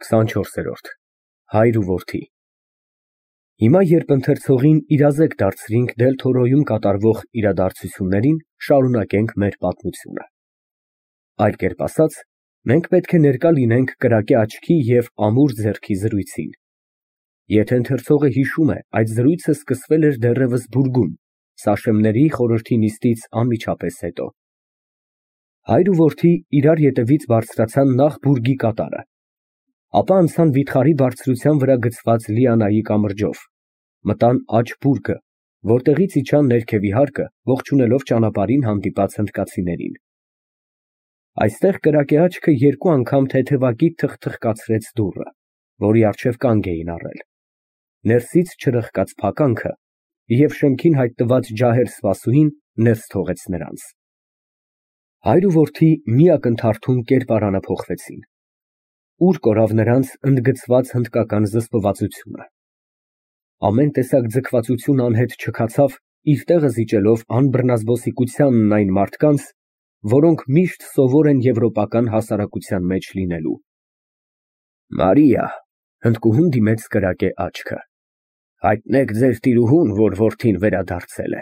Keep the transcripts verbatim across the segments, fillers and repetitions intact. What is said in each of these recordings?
քսանչորսերորդ Հայր ու որդի Հիմա երբ ընթերցողին իրազեկ դարձրինք Դել-Թորոյում կատարվող իրադարձություններին, շարունակենք մեր պատմությունը։ Այլ կերպ ասած, մենք պետք է ներկա լինենք կրակե աչքի և ամուր ձեռքի զրույցին։ Եթե ընթերցողը հիշում է, այդ զրույցը սկսվել էր դեռևս բուրգում, Սաշեմների խորհրդի նիստից անմիջապես հետո։ Հայր ու որդի իրար ետևից բարձրացան նախ բուրգի կատարը, ապա անցան վիթխարի բարձրության վրա գծված Լիանայի կամրջով, մտան աջ բուրգը, որտեղից իջան ներքևի հարկը, ողջունելով ճանապարհին հանդիպած հնդկացիներին։ Այստեղ կրակե աչքը երկու անգամ թեթևակի թխթխկացրեց դուռը, որի առջև կանգ էին առել, ներսից չրխկաց փականքը և շեմքին հայտնված ջահեր սպասուհին ներս թողեց նրանց։ Հայր ու որդի մի ակնթարթում կերպարանափոխվեցին։ Ուր կորավ նրանց ընդգծված հնդկական զսպվածությունը։ Ամեն տեսակ ձգվածություն անհետ չքացավ, իր տեղը զիջելով անբռնազբոսիկությանն այն մարդկանց, որոնք միշտ սովոր են եվրոպական հասարակության մեջ լինելու։ Մարիա, հնդկուհուն դիմեց կրակե աչքը, հայտնեք ձեր տիրուհուն, որ որդին վերադարձել է։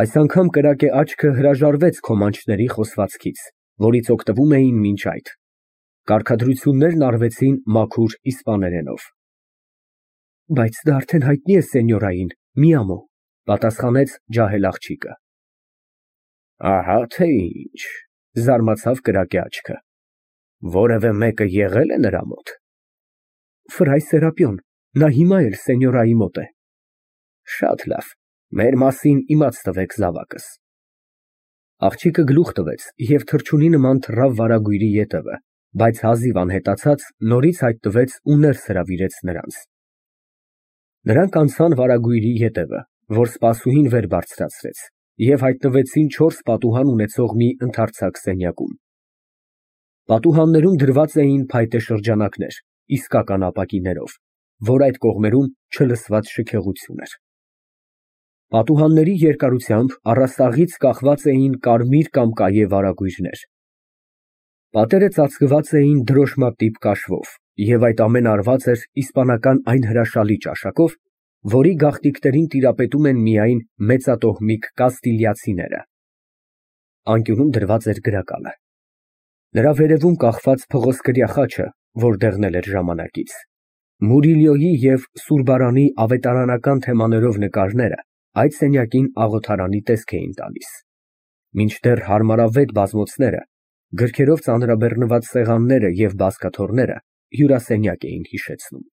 Այս անգամ կրակե աչքը հրաժարվեց քոմանչների խոսվածքից, որից օգտվում էին մինչ այդ։ Կարգադրություններն արվեցին մաքուր իսպաներենով։ Բայց դա արդեն հայտնի է սենյորային, մի ամո, պատասխանեց ջահել աղջիկը։ Ահա թե ինչ, զարմացավ կրակե աչքը, որևէ մեկը եղել է նրա մոտ։ Ֆրայ Սերապիոն, նա հիմա էլ սենյորայի մոտ է։ Շատ լավ, մեր մասին իմաց տվեք զավակս։ Աղջիկը գլուխ տվեց և թռչունի նման թռավ վարագույրի ետևը, բայց հազիվ անհետացած նորից հայտնվեց ու ներս հրավիրեց նրանց։ Նրանք անցան վարագույրի ետևը, որ սպասուհին վեր բարձրացրեց, և հայտնվեցին չորս պատուհան ունեցող մի ընդարձակ սենյակում։ Պատուհաններում դրված էին փայտե շրջանակներ, իսկական ապակիներով, որ այդ կողմերում չլսված շքեղություն էր։ Պատուհանների երկարությամբ առաստաղից կախված էին կարմիր կամ կայե վարագույրներ։ Պատերը ծածկված էին դրոշմատիպ կաշվով, և այդ ամենը արված էր իսպանական այն հրաշալի ճաշակով, որի գաղտնիքներին տիրապետում են միայն մեծատոհմիկ կաստիլիացիները։ Անկյունում դրված էր գրակալը։ Նրա վերևում կախված փղոսկրյա խաչը, որ դեղնել էր ժամանակից, Մուրիլյոյի և Սուրբարանի ավետարանական թեմաներով նկարները այդ սենյակին աղոթարանի տեսք էին տալիս, մինչդեռ հարմարավետ բազմոցները, գրքերով ծանրաբեռնված սեղանները և բազկաթոռները հյուրասենյակ էին հիշեցնում։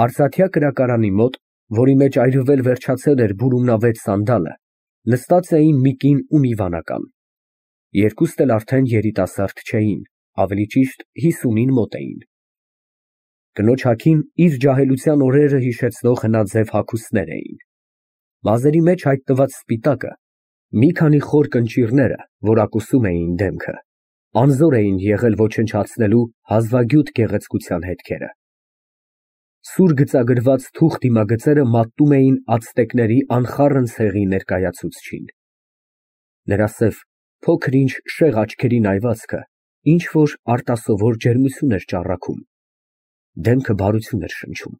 Արծաթյա կրակարանի մոտ, որի մեջ այրվել վերջացել էր բուրումնավետ սանդալը, նստած էին մի կին ու մի վանական։ Երկուստ էլ արդեն երիտասարդ չէին, ավելի ճիշտ հիսունին մոտ էին։ Կնոջ հագին իր ջահելության օրերը հիշեցնող հնաձև հագուստներ էին։ Մազերի մեջ հայտնված սպիտակը, մի քանի խոր կնճիռները, որ ակուսում էին դեմքը, անզոր էին եղել ոչնչացնելու հազվագյուտ գեղեցկության հետքերը։ Սուր գծագրված թուխ դիմագծերը մատնում էին ացտեկների անխառն ցեղի ներկայացուցչին։ Նրա սև, փոքր-ինչ շեղ աչքերի նայվածքը ինչ֊որ արտասովոր ջերմություն էր ճառագում, դեմքը բարություն էր շնչում։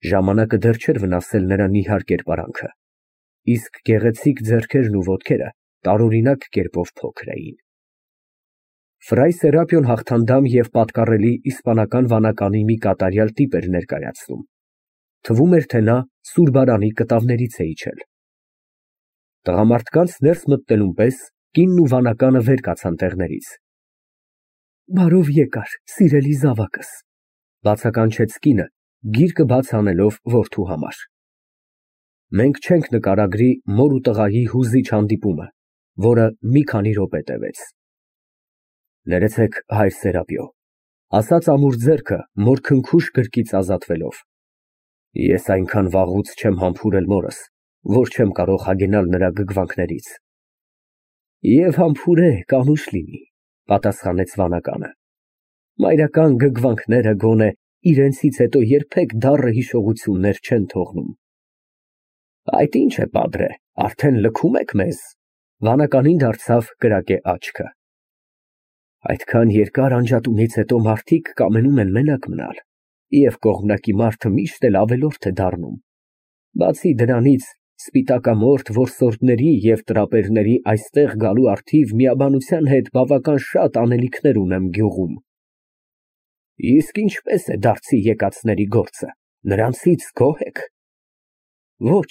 Ժամանակը դեռ չէր վնասել նրա նիհար կերպարանքը, իսկ գեղեցիկ ձեռքերն ու ոտքերը տարօրինակ կերպով փոքր էին։ Ֆրայ Սերապիոն հաղթանդամ և պատկառելի իսպանական վանականի մի կատարյալ տիպ էր ներկայացնում, թվում էր, թե նա Սուրբարանի կտավներից է իջել։ Տղամարդկանց ներս մտնելուն պես կինն ու վանականը վեր կացան տեղներից։ Բարով եկար, սիրելի զավակս, բացականչեց կինը, գիրկը բաց անելով որդու համար։ Մենք չենք նկարագրի մոր ու տղայի հուզիչ հանդիպումը, որը մի քանի րոպե տևեց։ Ներեցեք, հայր Սերապիո, ասաց ամուր ձեռքը մոր քնքուշ գրկից ազատվելով։ Ես այնքան վաղուց չեմ համբուրել մորս, որ չեմ կարող հագենալ նրա գգվանքներից։ Եվ համբուրեք, անուշ լինի, պատասխանեց վանականը։ Մայրական գգվանքները գոնե իրենցից հետո երբեք դառը հիշողություններ չեն թողնում։ Այդ ինչ է, պատրե, արդեն լքում եք մեզ, վանականին դարձավ կրակե աչքը։ Այդքան երկար անջատումից հետո մարդիկ կամենում են մենակ մնալ, և կողմնակի մարդը միշտ էլ ավելորդ է դառնում։ Բացի դրանից, սպիտակամորթ որսորդների և տրապերների այստեղ գալու առթիվ միաբանության հետ բավական շատ անելիքներ ունեմ գյուղում։ Իսկ ինչպե՞ս է դարձի եկածների գործը, նրանցից գոհ ե՞ք։ Ոչ,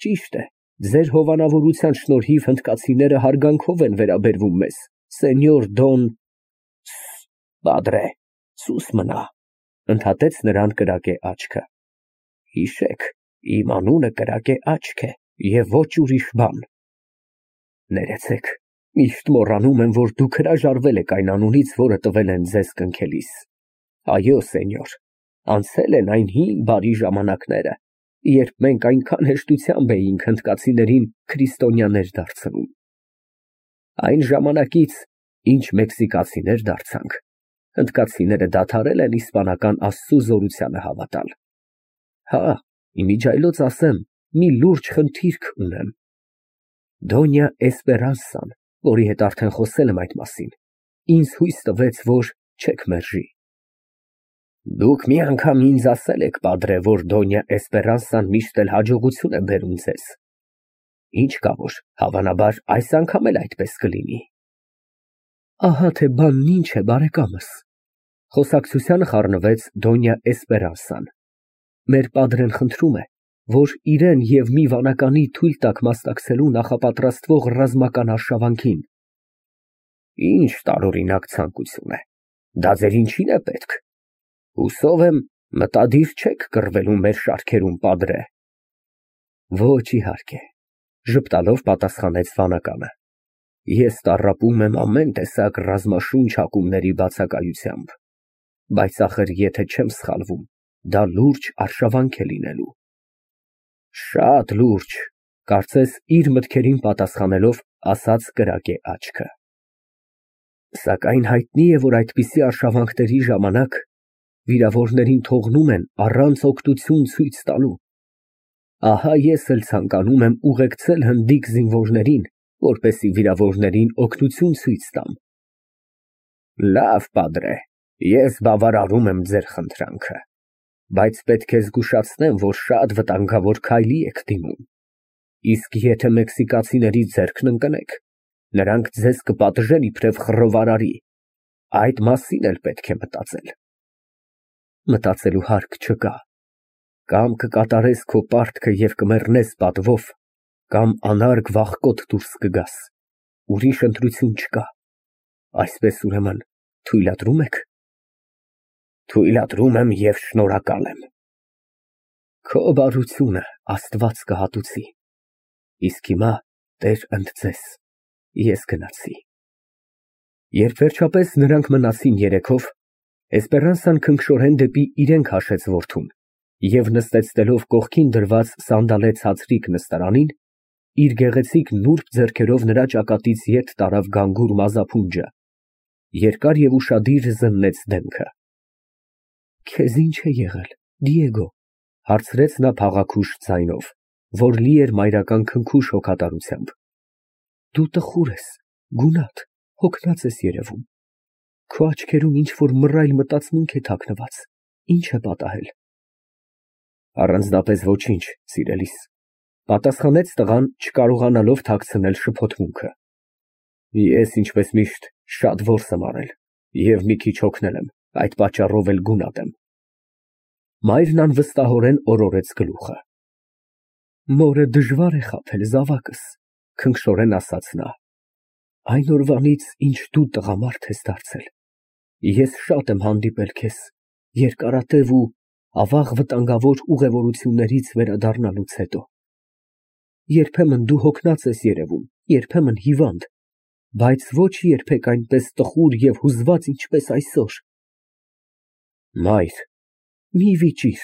ճիշտ է, ձեր հովանավորության շնորհիվ հնդկացիները հարգանքով են վերաբերվում մեզ, սենյոր Դոն… Պադրե, սուս մնա, ընդհատեց նրան կրակե աչքը։ Հիշեք, իմ անունը կրակե աչք է և ոչ ուրիշ բան։ Ներեցեք, միշտ մոռանում եմ, որ դուք հրաժարվել եք այն անունից, որը տվել են ձեզ կնքելիս։ Այո, սենյոր, անցել են այն հին բարի ժամանակները, երբ մենք այնքան հեշտությամբ էինք հնդկացիներին քրիստոնյաներ դարձնում։ Այն ժամանակից, ինչ մեքսիկացիներ դարձանք, հնդկացիները դադարել են իսպանական աստծու զորությանը հավատալ։ Հա, իմիջիայլոց ասեմ, մի լուրջ խնդիրք ունեմ։ Դոնյա Էսպերանսան, որի հետ արդեն խոսել եմ այդ մասին, ինձ հույս տվեց, որ չեք մերժի։ Դուք մի անգամ ինձ ասել եք, պադրե, որ Դոնյա Էսպերանսան միշտ էլ հաջողություն է բերում ձեզ։ Ինչ կա որ, հավանաբար, այս անգամ էլ այդպես կլինի։ Ահա թե բանն ինչ է, բարեկամս, խոսակցությանը խառնվեց Դոնյա Էսպերանսան։ Մեր պադրեն խնդրում է, որ իրեն և մի վանականի թույլ տաք մասնակցելու նախապատրաստվող ռազմական արշավանքին։ Ինչ տարօրինակ ցանկություն է, դա ձեր ինչին է պետք։ Հուսով եմ, մտադիր չեք կռվելու մեր շարքերում, պադրե։ Ոչ, իհարկե, ժպտալով պատասխանեց վանականը։ Ես տառապում եմ ամեն տեսակ ռազմաշունչ հակումների բացակայությամբ, բայց ախր եթե չեմ սխալվում, դա լուրջ արշավանք է լինելու։ Շատ լուրջ, կարծես իր մտքերին պատասխանելով ասաց կրակե աչքը։ Սակայն հայտնի է, որ այդպիսի արշավանքների ժամանակ վիրավորներին թողնում են առանց օգնություն ցույց տալու։ Ահա ես էլ ցանկանում եմ ուղեկցել հնդիկ զինվորներին, որպեսզի վիրավորներին օգնություն ցույց տամ։ Լավ, պադրե, ես բավարարում եմ ձեր խնդրանքը, բայց պետք է զգուշացնեմ, որ շատ վտանգավոր քայլի եք դիմում։ Իսկ եթե մեքսիկացիների ձեռքն ընկնեք, նրանք ձեզ կպատժեն իբրև խռովարարի, այդ մասին էլ պետք է մտածել։ Մտածելու հարկ չկա։ Կամ կկատարես քո պարտքը և կմեռնես պատվով, կամ անարգ վախկոտ դուրս կգաս, ուրիշ ընտրություն չկա։ Այսպես ուրեմն թույլատրո՞ւմ եք։ Թույլատրում եմ և շնորհակալ եմ։ Քո բարությունը Աստված կհատուցի։ Իսկ հիմա Տեր ընդ ձեզ, ես գնացի։ Երբ վերջապես նրանք մնացին երեքով, Էսպերանսան քնքշորեն դեպի իրեն քաշեց որդուն և նստեցնելով կողքին դրված սանդալե ցածրիկ նստարանին, իր գեղեցիկ նուրբ ձեռքերով նրա ճակատից ետ տարավ գանգուր մազափունջը, երկար և ուշադիր զննեց դեմքը։ Քեզ ի՞նչ է եղել, Դիեգո, հարցրեց նա փաղաքուշ ձայնով, որ լի էր մայրական քնքուշ հոգատարությամբ։ Դու տխուր ես, գունատ, հոգնած ես երևում։ Քո աչքերում ինչ֊որ մռայլ մտածմունք է թաքնված, ի՞նչ է պատահել։ Առանձնապես ոչինչ, սիրելիս, պատասխանեց տղան, չկարողանալով թաքցնել շփոթմունքը։ Ես, ինչպես միշտ, շատ որս եմ արել և մի քիչ հոգնել եմ, այդ պատճառով էլ գունատ եմ։ Մայրն անվստահորեն օրորեց գլուխը։ Մորը դժվար է խաբել, զավակս, քնքշորեն ասաց նա։ Այն օրվանից, ինչ դու տղամարդ ես դարձել, ես շատ եմ հանդիպել քեզ, երկարատև ու ավաղ վտանգավոր ուղևորություններից վերադառնալուց հետո։ Երբեմն դու հոգնած ես երևում, երբեմն հիվանդ, բայց ոչ երբեք այնպես տխուր և հուզված, ինչպես այսօր։ Մայր, մի վիճիր,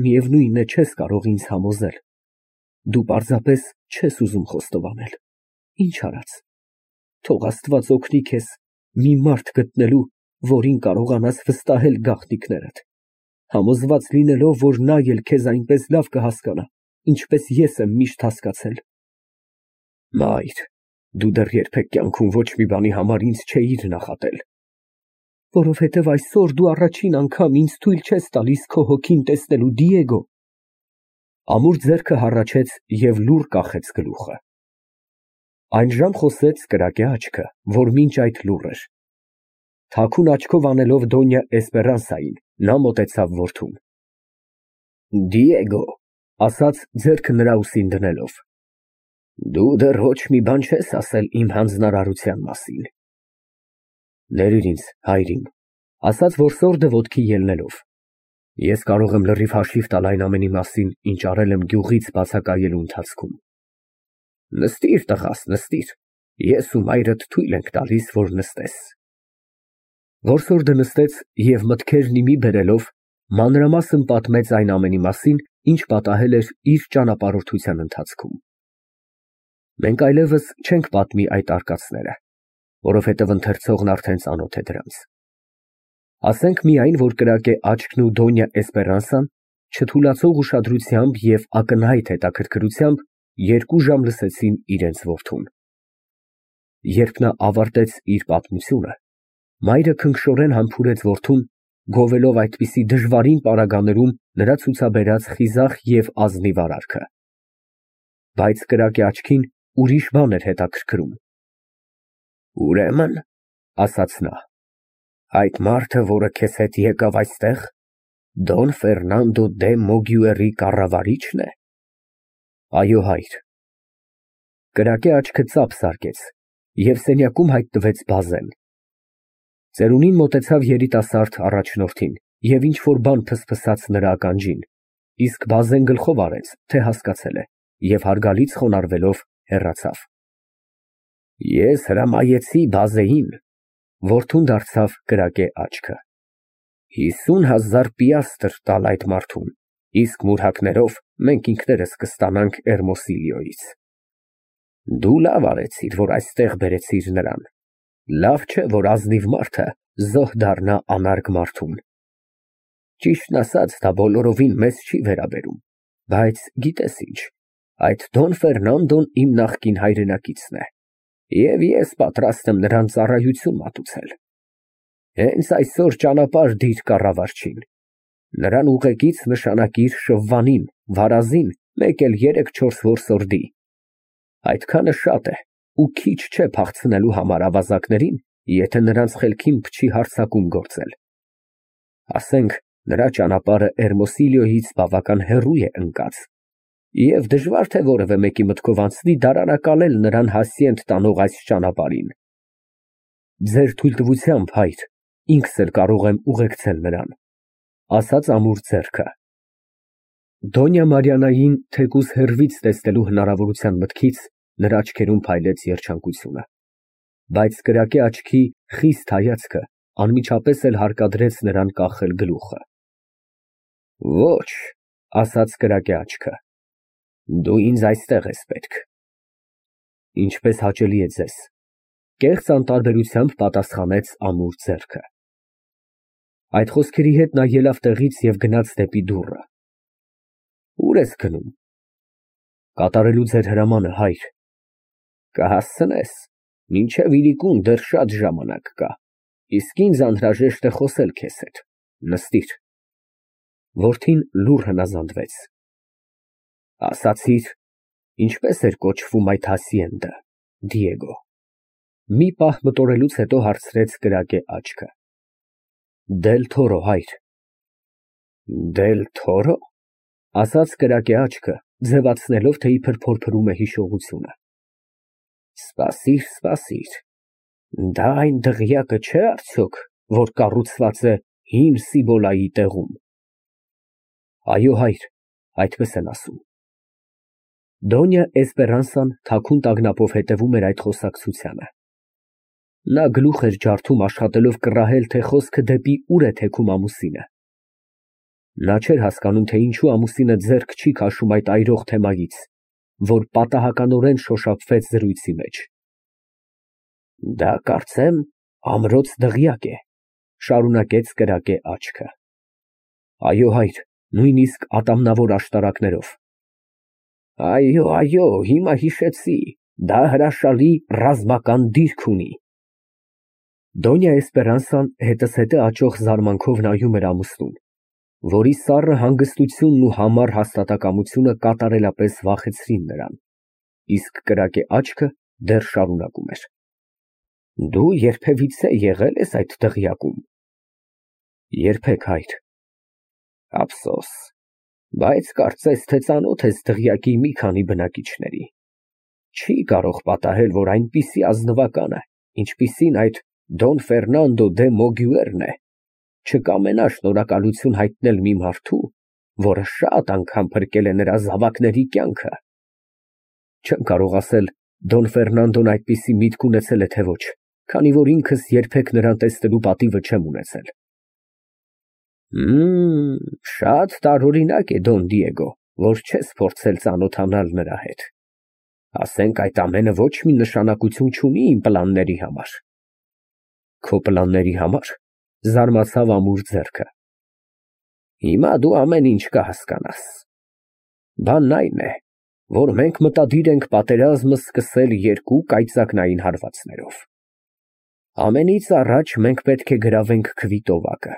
միևնույն է, չես կարող ինձ համոզել։ Դու պարզապես չես ուզում խոստովանել։ Ինչ արած։ Թող Աստված օգնի քեզ մի մարդ գտնելու, որին կարողանաս վստահել գաղտնիքներդ, համոզված լինելով, որ նա էլ քեզ այնպես լավ կհասկանա, ինչպես ես եմ միշտ հասկացել։ Մայր, Դու դեռ երբեք կյանքում ոչ մի բանի համար ինձ չէիր նախատել։ Որովհետև այսօր դու առաջին անգամ ինձ թույլ չես տալիս քո հոգին տեսնելու, Դիեգո։ Ամուր ձեռքը հառաչեց և լուռ կախեց գլուխը։ Այնժամ խոսեց կրակե աչքը, որ մինչ այդ լուռ էր։ Թաքուն աչքով անելով Դոնյա Էսպերանսային, նա մոտեցավ որդուն։ Դիեգո, ասաց ձեռքը նրա ուսին դնելով, դու դեռ ոչ մի բան չես ասել իմ հանձնարարության մասին։ Ներիր ինձ, հայրիկ, ասաց որսորդը ոտքի ելնելով, ես կարող եմ լրիվ հաշիվ տալ այն ամենի մասին, ինչ արել եմ գյուղից բացակայելու ընթացքում։ Նստիր, տղաս, նստիր, ես ու մայրդ թույլ ենք տալիս, որ նստես։ Որսորդը նստեց և մտքերն ի մի բերելով, մանրամասն պատմեց այն ամենի մասին, ինչ պատահել էր իր ճանապարհորդության ընթացքում։ Մենք այլևս չենք պատմի այդ արկածները, որովհետև ընթերցողն արդեն ծանոթ է դրանց։ Ասենք միայն, որ կրակե աչքն ու Դոնյա Էսպերանսան չթուլացող ուշադրությամբ և ակնհայտ հետաքրքրությամբ երկու ժամ լսեցին իրենց որդուն։ Երբ նա ավարտեց իր պատմությունը, մայրը քնքշորեն համբուրեց որդուն, գովելով այդպիսի դժվարին պարագաներում նրա ցուցաբերած խիզախ և ազնիվ արարքը։ Բայց կրակե աչքին ուրիշ բան էր հետաքրքրում։ Ուրեմն, ասաց նա, այդ մարդը, որը քեզ հետ եկավ այստեղ, Դոն Ֆերնանդո դե Մոգյուերի կառավարի՞չն է։ Այո, հայր։ Կրակե աչքը ծափ զարկեց, և սենյակում հայտնվեց Բազեն։ Ծերունին մոտեցավ երիտասարդ առաջնորդին և ինչ֊որ բան փսփսաց նրա ականջին, իսկ Բազեն գլխով արեց, թե հասկացել է, և հարգալից խոնարհվելով հեռացավ։ Ես հրամայեցի Բազեին, որդուն դարձավ կրակե աչքը, հիսուն հազար պիաստր տալ այդ մարդուն, իսկ մուրհակներով մենք ինքներս կստանանք Էրմոսիլիոյից։ Դու լավ արեցիր, որ այստեղ բերեցիր նրան։ Լավ չէ, որ ազնիվ մարդը զոհ դառնա անարգ մարդուն։ Ճիշտն ասած, դա բոլորովին մեզ չի վերաբերում, բայց գիտես ինչ, այդ Դոն Ֆերնանդոն իմ նախկին հայրենակիցն է, և ես պատրաստ եմ նրան ծառայություն մատուցել։ Հենց այսօր ճանապարհ դիր կառավարչին, նրան ուղեկից նշանակիր Շվվանին, Վարազին, մեկ էլ երեք֊չորս որսորդի։ Այդքանը շատ է ու քիչ չէ փախցնելու համար ավազակներին, եթե նրանց խելքին փչի հարձակում գործել։ Ասենք, նրա ճանապարհը Էրմոսիլիոյից բավական հեռու է ընկած, և դժվար թե որևէ մեկի մտքով անցնի դարանակալել նրան հասցեենտ տանող այս ճանապարհին։ Ձեր թույլտվությամբ, հայր, ինքս էլ կարող եմ ուղեկցել նրան, ասաց ամուր ձեռքը։ Դոնյա Մարիաննային թեկուզ հեռվից տեսնելու հնարավորության մտքից նրա աչքերում փայլեց երջանկությունը, բայց կրակե աչքի խիստ հայացքը անմիջապես էլ հարկադրեց նրան կախել գլուխը։ Ոչ, ասաց կրակե աչքը, դու ինձ այստեղ ես պետք։ Ինչպես հաճելի է ձեզ, կեղծ անտարբերությամբ պատասխանեց ամուր ձեռքը։ Այդ խոսքերի հետ նա ելավ տեղից և գնաց դեպի դուռը։ Ո՞ւր ես գնում։ Կատարելու ձեր հրամանը, հայր։ Կհասցնես, մինչև իրիկուն դեռ շատ ժամանակ կա, իսկ ինձ անհրաժեշտ է խոսել քեզ հետ, նստիր։ Որդին լուռ հնազանդվեց։ Ասացիր, ինչպե՞ս էր կոչվում այդ հասցեենդը, Դիեգո։ Մի պահ մտորելուց հետո հարցրեց կրակե աչքը։ Դել Թորո, հայր։ Դել Թորո, ասաց կրակե աչքը, ձևացնելով, թե իբր փորփրում է հիշողությունը։ Սպասիր, սպասիր, դա այն դղյակը չէ արդյոք, որ կառուցված է հին Սիբոլայի տեղում։ Այո, հայր, այդպես են ասում։ Դոնյա Էսպերանսան թաքուն տագնապով հետևում էր այդ խոսակցությանը։ Նա գլուխ էր ջարդում աշխատելով կռահել, թե խոսքը դեպի ուր է թեքում ամուսինը։ Նա չէր հասկանում, թե ինչու ամուսինը ձեռք չի քաշում այդ այրող թեմայից, որ պատահականորեն շոշափվեց զրույցի մեջ։ Դա կարծեմ ամրոց դղյակ է, շարունակեց կրակե աչքը։ Այո, հայր, նույնիսկ ատամնավոր աշտարակներով։ Այո, այո, հիմա հիշեցի, Դա հրաշալի ռազմական դիրք ունի։ Դոնյա Էսպերանսան հետզհետե աճող զարմանքով նայում էր ամուսնուն, որի սառը հանգստությունն ու համառ հաստատակամությունը կատարելապես վախեցրին նրան, իսկ կրակե աչքը դեռ շարունակում էր. Դու երբևիցե եղե՞լ ես այդ դղյակում։ Երբեք, հայր։ Ափսոս, բայց կարծես թե ծանոթ ես դղյակի մի քանի բնակիչների։ Չի կարող պատահել, որ այնպիսի ազնվականը, ինչպիսին այդ Դոն Ֆերնանդո դե Մոգյուերն է, չկամենա շնորհակալություն հայտնել մի մարդու, որը շատ անգամ փրկել է նրա զավակների կյանքը։ Չեմ կարող ասել Դոն Ֆերնանդոն այդպիսի միտք ունեցել է, թե ոչ, քանի որ ինքս երբեք նրան տեսնելու պատիվը չեմ ունեցել։ Մմ, շատ տարօրինակ է, Դոն Դիեգո, որ չես փորձել ծանոթանալ նրա հետ։ Ասենք այդ ամենը ոչ մի նշանակություն չունի իմ պլանների համար։ Քո պլանների համար, զարմացավ ամուր ձեռքը։ Հիմա դու ամեն ինչ կհասկանաս։ Բանն այն է, որ մենք մտադիր ենք պատերազմը սկսել երկու կայծակնային հարվածներով։ Ամենից առաջ մենք պետք է գրավենք Քվիտովակը,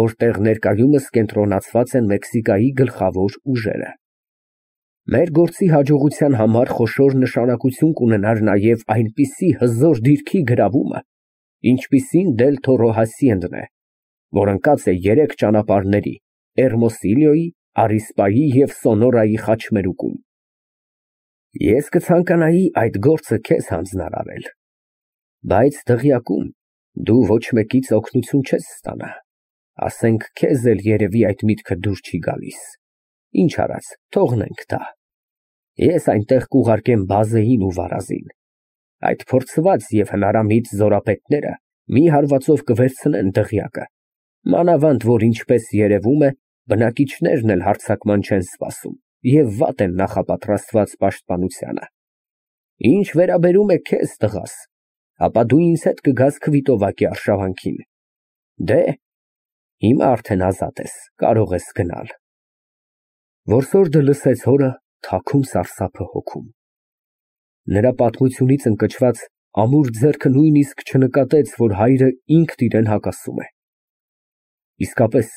որտեղ ներկայումս կենտրոնացված են Մեքսիկայի գլխավոր ուժերը։ Մեր գործի հաջողության համար խոշոր նշանակություն կունենար նաև այնպիսի հզոր դիրքի գրավումը, ինչպիսին Դել Թորո Հասիենդն է, որ ընկած է երեք ճանապարհների՝ Էրմոսիլիոյի, Արիսպայի և Սոնորայի խաչմերուկում։ Ես կցանկանայի այդ գործը քեզ հանձնարարել, բայց դղյակում դու ոչ մեկից օգնություն չես ստանա, ասենք քեզ էլ երևի այդ միտքը դուր չի գալիս։ Ինչ արած, թողնենք դա։ Ես այնտեղ կուղարկեմ Բազեին ու Վարազին։ Այդ փորձված և հնարամիտ զորապետները մի հարվածով կվերցնեն դղյակը, մանավանդ որ ինչպես երևում է, բնակիչներն էլ հարձակման չեն սպասում և վատ են նախապատրաստված պաշտպանությանը։ Ինչ վերաբերում է քեզ, տղաս, ապա դու ինձ հետ կգաս Քվիտովակի արշավանքին։ Դե, հիմա արդեն ազատ ես, կարող ես գնալ։ Որսորդը լսեց հորը թաքում սարսափը հոգում։ Նրա պատմությունից ընկճված ամուր ձեռքը նույնիսկ չնկատեց, որ հայրը ինքն իրան հակասում է։ Իսկապես,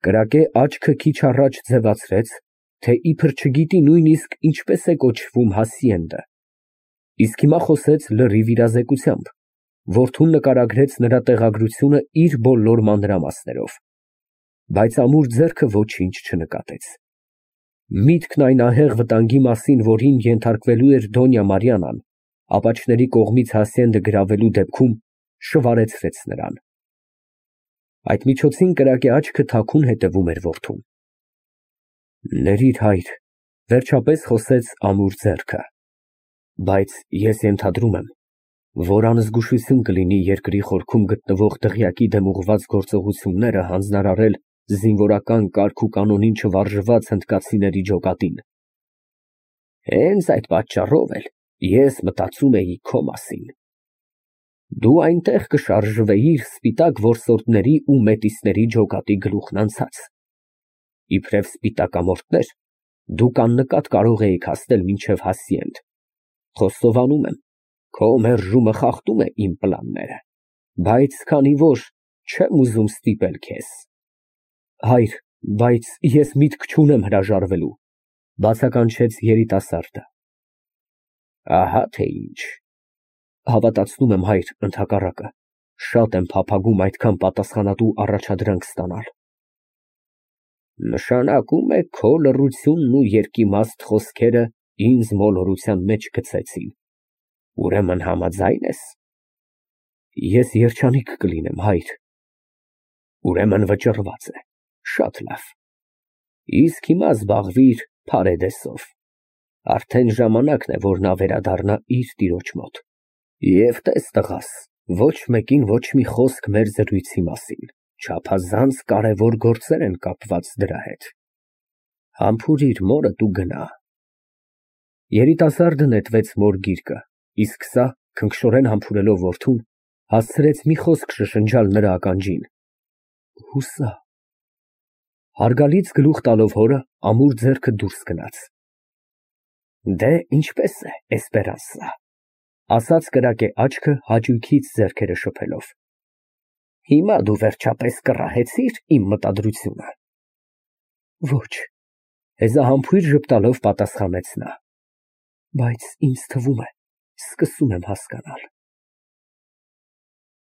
կրակե աչքը քիչ առաջ ձևացրեց, թե իբր չգիտի նույնիսկ ինչպես է կոչվում հասիենդը, իսկ հիմա խոսեց լրիվ իրազեկությամբ, որդուն նկարագրեց նրա տեղագրությունը իր բոլոր մանրամասներով, բայց ամուր ձեռքը ոչինչ չնկատեց։ Միտքն այն ահեղ վտանգի մասին, որին ենթարկվելու էր Դոնյա Մարիանան, ապաչների կողմից Հասիենդը գրավելու դեպքում, շվարեցրեց նրան։ Այդ միջոցին կրակե աչքը թաքուն հետևում էր որդուն։ Ներիր, հայր, վերջապես խոսեց ամուր ձեռքը, բայց ես ենթադրում եմ, որ անզգուշություն կլինի երկրի խորքում գտնվող դղյակի դեմ ուղղված գործողությունները հանձնարարել զինվորական կարգ ու կանոնին չվարժված հնդկացիների ջոկատին։ Հենց այդ պատճառով էլ ես մտածում էի քո մասին։ Դու այնտեղ կշարժվեիր սպիտակ որսորդների ու մետիսների ջոկատի գլուխն անցած։ Իբրև սպիտակամորթներ, դուք աննկատ կարող էիք հասնել մինչև Հասիենդ։ Խոստովանում եմ, քո մերժումը խախտում է իմ պլանները, բայց քանի որ չեմ ուզում ստիպել քեզ։ Հայր, բայց ես միտք չունեմ հրաժարվելու, բացականչեց երիտասարդը։ Ահա թե ինչ։ Հավատացնում եմ, հայր, ընդհակառակը, շատ եմ փափագում այդքան պատասխանատու առաջադրանք ստանալ։ Նշանակում է քո լռությունն ու երկիմաստ խոսքերը ինձ մոլորության մեջ գցեցին։ Ուրեմն համաձայն ես։ Ես երջանիկ կլինեմ, հայր։ Ուրեմն վճռված է, շատ լավ։ Իսկ հիմա զբաղվիր Փարեդեսով։ Արդեն ժամանակն է, որ նա վերադառնա իր տիրոջ մոտ։ Եվ տես, տղաս, ոչ մեկին ոչ մի խոսք մեր զրույցի մասին, չափազանց կարևոր գործեր են կապված դրա հետ։ Համբուրիր մորդ ու գնա։ Երիտասարդը նետվեց մոր գիրկը, իսկ սա, քնքշորեն համբուրելով որդուն, հասցրեց մի խոսք շշնջալ նրա ականջին։ Հուսա։ Հարգալից գլուխ տալով հորը, ամուր ձեռքը դուրս գնաց։ Դե, ինչպես է, Էսպերանսա։ ասաց կրակե աչքը հաճույքից ձեռքերը շփելով։ Հիմա դու վերջապես կռահեցի՞ր իմ մտադրությունը։ Ոչ, հեզահամբույր ժպտալով պատասխանեց նա, բայց ինձ թվում է, սկսում եմ հասկանալ։